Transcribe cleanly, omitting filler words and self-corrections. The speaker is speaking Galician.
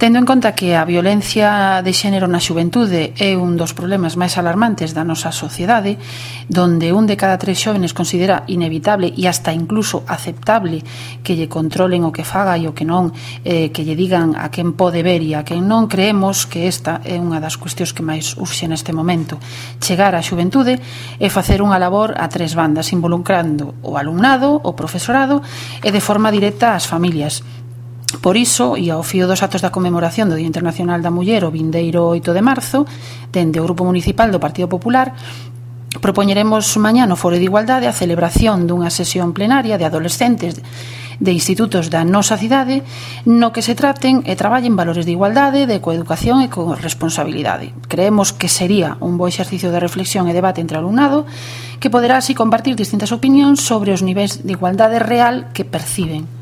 Tendo en conta que a violencia de xénero na xuventude é un dos problemas máis alarmantes da nosa sociedade, donde un de cada 3 xóvenes considera inevitable e hasta incluso aceptable que lle controlen o que faga e o que non, que lle digan a quen pode ver e a quen non, creemos que esta é unha das cuestións que máis urxe neste momento. Chegar á xuventude e facer unha labor a 3 bandas, involucrando o alumnado, o profesorado e de forma directa as familias. Por iso, e ao fío dos actos da conmemoración do Día Internacional da Muller o vindeiro 8 de marzo, dende o Grupo Municipal do Partido Popular, propoñeremos mañá no Foro de Igualdade a celebración dunha sesión plenaria de adolescentes de institutos da nosa cidade no que se traten e traballen valores de igualdade, de coeducación e corresponsabilidade. Creemos que sería un bo exercicio de reflexión e debate entre o alumnado que poderá así compartir distintas opinións sobre os niveis de igualdade real que perciben.